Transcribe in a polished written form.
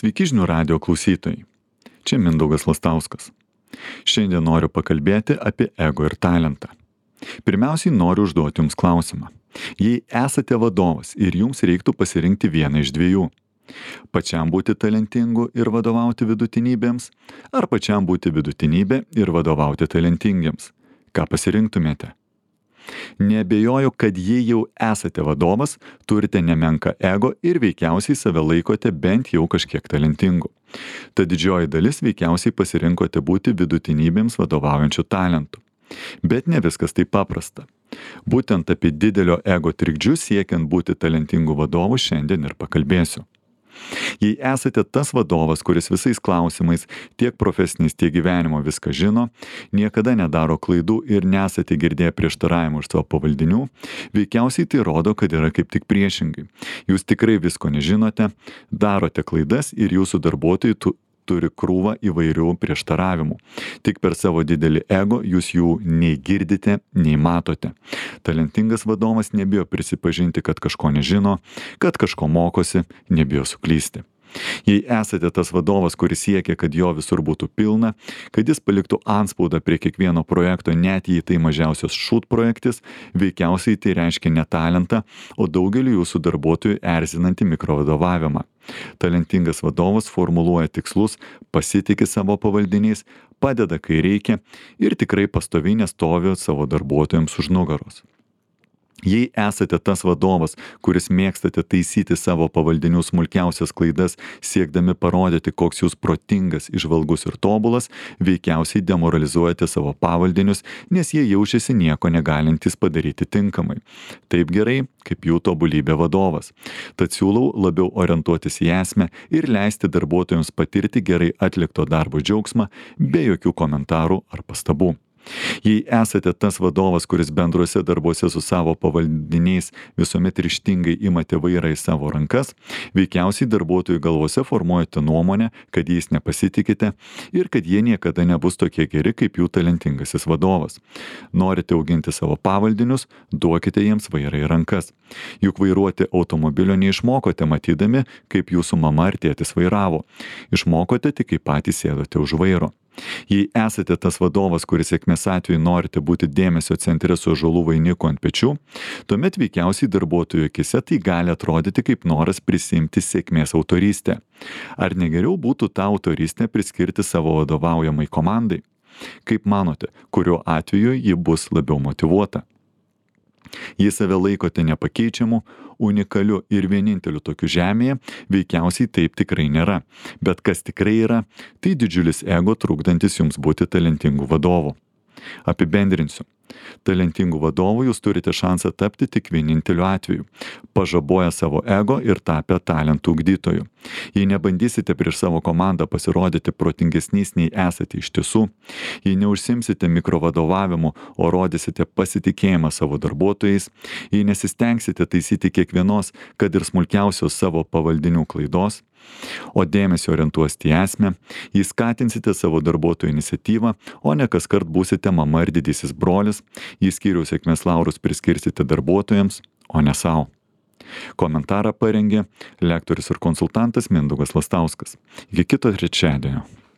Sveiki žinių radio klausytojai. Čia Mindaugas Lastauskas. Šiandien noriu pakalbėti apie ego ir talentą. Pirmiausiai noriu užduoti jums klausimą. Jei esate vadovas ir jums reiktų pasirinkti vieną iš dviejų, pačiam būti talentingu ir vadovauti vidutinybėms, ar pačiam būti vidutinybė ir vadovauti talentingiems, ką pasirinktumėte? Neabejoju, kad jei jau esate vadovas, turite nemenką ego ir veikiausiai save laikote bent jau kažkiek talentingu. Tad didžioji dalis veikiausiai pasirinkote būti vidutinybėms vadovaujančių talentų. Bet ne viskas taip paprasta. Būtent apie didelio ego trikdžius siekiant būti talentingu vadovu šiandien ir pakalbėsiu. Jei esate tas vadovas, kuris visais klausimais, tiek profesiniais, tiek gyvenimo viską žino, niekada nedaro klaidų ir nesate girdėję prieštaravimų iš savo pavaldinių, veikiausiai tai rodo, kad yra kaip tik priešingai. Jūs tikrai visko nežinote, darote klaidas ir jūsų darbuotojai turi krūvą įvairių prieštaravimų. Tik per savo didelį ego jūs jų nei girdite, nei matote. Talentingas vadovas nebijo prisipažinti, kad kažko nežino, kad kažko mokosi, nebijo suklysti. Jei esate tas vadovas, kuris siekia, kad jo visur būtų pilna, kad jis paliktų antspaudą prie kiekvieno projekto, net jei tai mažiausias šūt projektis, veikiausiai tai reiškia ne talentą, o daugelį jūsų darbuotojų erzinantį mikrovadovavimą. Talentingas vadovas formuluoja tikslus, pasitiki savo pavaldiniais, padeda, kai reikia ir tikrai pastoviai nestovi savo darbuotojams už nugaros. Jei esate tas vadovas, kuris mėgstate taisyti savo pavaldinių smulkiausias klaidas, siekdami parodyti, koks jūs protingas, įžvalgus ir tobulas, veikiausiai demoralizuojate savo pavaldinius, nes jie jaučiasi nieko negalintys padaryti tinkamai. Taip gerai, kaip jų tobulybė vadovas. Tad siūlau labiau orientuotis į esmę ir leisti darbuotojams patirti gerai atlikto darbo džiaugsmą, be jokių komentarų ar pastabų. Jei esate tas vadovas, kuris bendruose darbuose su savo pavaldiniais visuomet ryžtingai imate vairą į savo rankas, veikiausiai darbuotojų galvose formuojate nuomonę, kad jais nepasitikite ir kad jie niekada nebus tokie geri kaip jų talentingasis vadovas. Norite auginti savo pavaldinius, duokite jiems vairą į rankas. Juk vairuoti automobilio neišmokote matydami, kaip jūsų mama ar tėtis vairavo. Išmokote tik, kai patys sėdote už vairo. Jei esate tas vadovas, kuris sėkmės atveju norite būti dėmesio centre su ąžuolų vainiku ant pečių, tuomet veikiausiai darbuotojų akise tai gali atrodyti kaip noras prisimti sėkmės autorystę. Ar negeriau būtų tą autorystę priskirti savo vadovaujamai komandai? Kaip manote, kuriuo atveju ji bus labiau motyvuota? Jei save laikote nepakeičiamu, unikaliu ir vieninteliu tokiu žemėje, veikiausiai taip tikrai nėra. Bet kas tikrai yra, tai didžiulis ego trukdantis jums būti talentingu vadovu. Apibendrinsiu. Talentingų vadovų jūs turite šansą tapti tik vieninteliu atveju, pažaboję savo ego ir tapę talentų ugdytojų. Jei nebandysite prieš savo komandą pasirodyti protingesniais nei esate iš tiesų, jei neužsimsite mikrovadovavimu, o rodysite pasitikėjimą savo darbuotojais, jei nesistengsite taisyti kiekvienos, kad ir smulkiausios savo pavaldinių klaidos, o dėmesį orientuosite į esmę, jei skatinsite savo darbuotojų iniciatyvą, o ne kaskart būsite mama ir didysis brolis, jei skyriaus sėkmės laurus priskirsite darbuotojams, o ne savo. Komentarą parengė lektorius ir konsultantas Mindaugas Lastauskas. Iki kito trečiadienio.